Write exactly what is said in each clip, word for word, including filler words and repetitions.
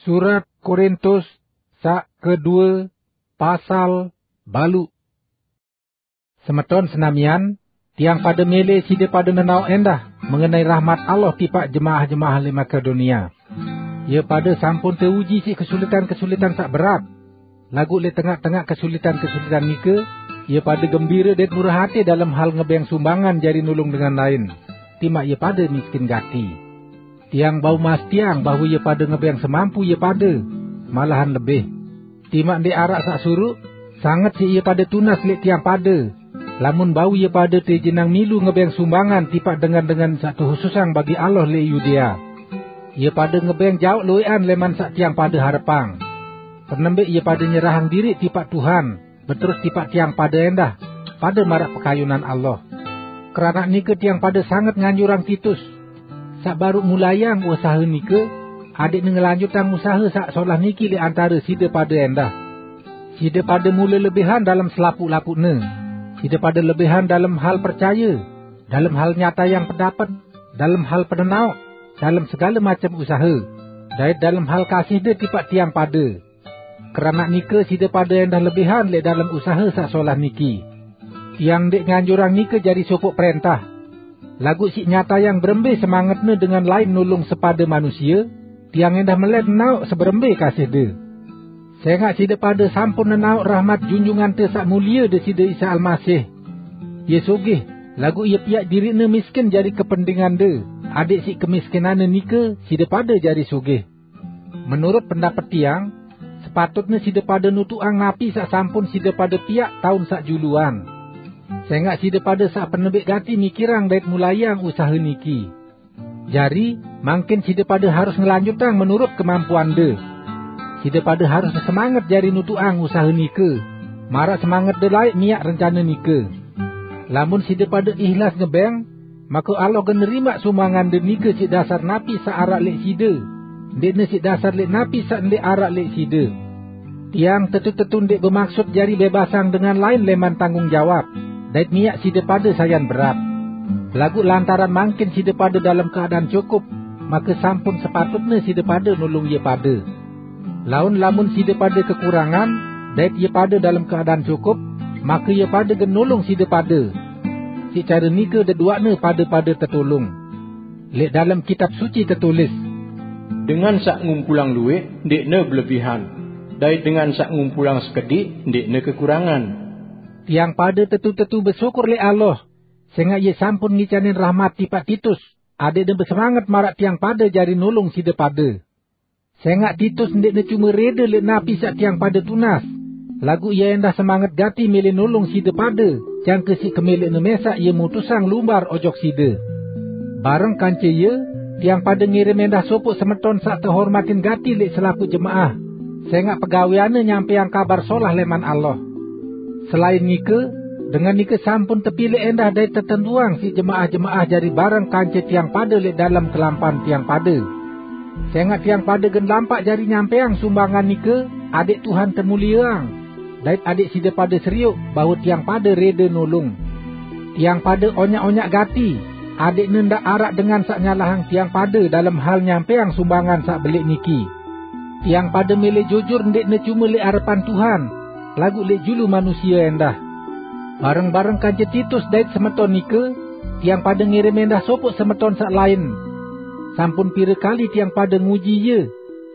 Surat Korintus saq kedue, pasal baluq. Semeton senamian, tiang pade mele side pade nenaoq endah mengenai rahmat Allah tipaq jemaah-jemaah leq Makedonia. Ie pade sampun teuji siq kesulitan-kesulitan saq berat. Laguq leq tengaq-tengaq kesulitan-kesulitan nike, ie pade gembire dait murah ate dalem hal ngebeng sumbangan jari nulung dengan lain, timaq ie pade miskin gati. Tiang bau mastiang bahwe ie pade ngebeng semampu ie pade, malahan lebih. Timaq ndeq araq saq suruq, sanget siq ie pade tunas leq tiang pade, lamun bau ie pade teijenang milu ngebeng sumbangan tipaq dengan-dengan saq tehususang bagi Allah leq Yudea. Ie pade ngebeng jaoq lueqan leman saq tiang pade harepang. Penembeq ie pade nyerahang diriq tipaq Tuhan, beterus tipaq tiang pade endah, pade maraq pekayunan Allah. Keranaq nike tiang pade sanget nganjurang Titus, saq baruq mulaiang usahe nike, adeqne ngelanjutang usahe saq solah niki leq antare side pade endah. Side pade mule lebihan dalem selapuq-lapuqne. Side pade lebihan dalem hal percaye, dalem hal nyatayang pendapet, dalem hal penenaoq, dalem segale macem usahe, dait dalem hal kasihde tipaq tiang pade. Keranaq nike side pade endah lebihan leq dalem usahe saq solah niki. Tiang ndeq nganjurang nike jari sopoq prentah. Laguq siq nyatayang berembe semangetne dengan lain nulung sepade manusie, tiang endah melet nenaoq seberembe kasihde. Sengaq side pade sampun nenaoq rahmat Junjungante Saq Mulie Deside Isa Almasih. Ie sugih, laguq ie piaq diriqne miskin jari kependingande, adeq siq kemiskinanne nike side pade jari sugih. Menurut pendapet tiang, sepatutne side pade nutuqang napi saq sampun side pade piaq taun saq juluan. Sengaq side pade saq penebeq gati mikirang dait mulaiang usahe niki. Jari, mangkin side pade harus ngelanjutang menurut kemampuande. Side pade harus semanget jari nutuqang usahe nike, maraq semangette laeq miaq rencane nike. Lamun side pade ihlas ngebeng, make Allah gen nerimaq sumbangande nike siq dasar napi saq araq leq side, ndeqne siq dasar leq napi saq ndeq araq leq side. Tiang tetu-tetu ndeq bemaksut jari bebasang dengan lain leman tanggung jawab, dait miaq side pade sayan berat. Laguq lantaran mangkin side pade dalem keadaan cukup, make sampun sepatutne side pade nulung ie pade. Laun lamun side pade kekurangan, dait ie pade dalem keadaan cukup, make ie pade gen nulung side pade. Siq care nike deduaqne pade-pade tetulung. Leq dalem Kitab Suci tetulis, "Dengan saq ngumpulang luwih ndẽqne belebihan, dait dengan saq ngumpulang sekediq ndẽqne kekurangan." Tiang pade tetu-tetu besyukur leq Allah, sengaq ie sampun ngicanin rahmat tipaq Titus, adeqne besemanget maraq tiang pade jari nulung side pade. Sengaq Titus ndẽqne cume rede leq napi saq tiang pade tunas, laguq ie endah semanget gati mele nulung side pade, jangke siq kemeleqne mesaq ie mutusang lumbar ojok side. Bareng kance ie, tiang pade ngirim endah sopoq semeton saq tehormatin gati leq selapuq jemaah, sengaq pegaweanne nyampeang Kabar Solah leman Allah. Selain nike, dengan nike sampun tepilẽq endah dait tetentuang siq jemaah-jemaah jari bareng kance tiang pade leq dalem kelampan tiang pade. Sengaq tiang pade gen lampaq jari nyampeang sumbangan nike, adeq Tuhan temulieang, dait adeq side pade serioq bahwe tiang pade rede nulung. Tiang pade onyaq-onyaq gati, adeqne ndaq araq dengan saq nyalahang tiang pade dalem hal nyampeang sumbangan saq beleq niki. Tiang pade mele jujur ndẽqne cume leq arepan Tuhan, laguq leq julu manusie endah. Bareng-bareng kance Titus dait semeton nike, tiang pade ngirim endah sopoq semeton saq lain. Sampun pire kali tiang pade nguji ie,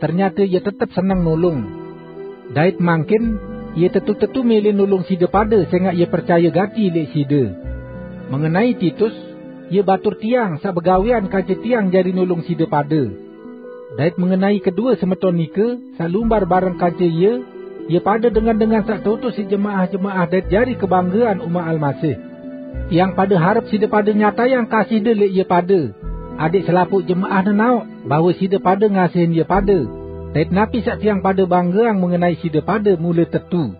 ternyate ie tetep seneng nulung. Dait mangkin, ie tetu-tetu mele nulung side pade sengaq ie percaye gati leq side. Mengenai Titus, ie batur tiang saq begawean kance tiang jari nulung side pade. Dait mengenai kedue semeton nike, saq lumbar bareng kance ie, ie pade dengan-dengan saq tutus siq jemaah-jemaah dait jari kebanggean umat Almasih. Tiang pade harep side pade nyatayang kasihde leq ie pade, adeq selapuq jemaah nenaoq bahwe side pade ngasihin ie pade, dait napi saq tiang pade banggeang mengenai side pade mule tetu.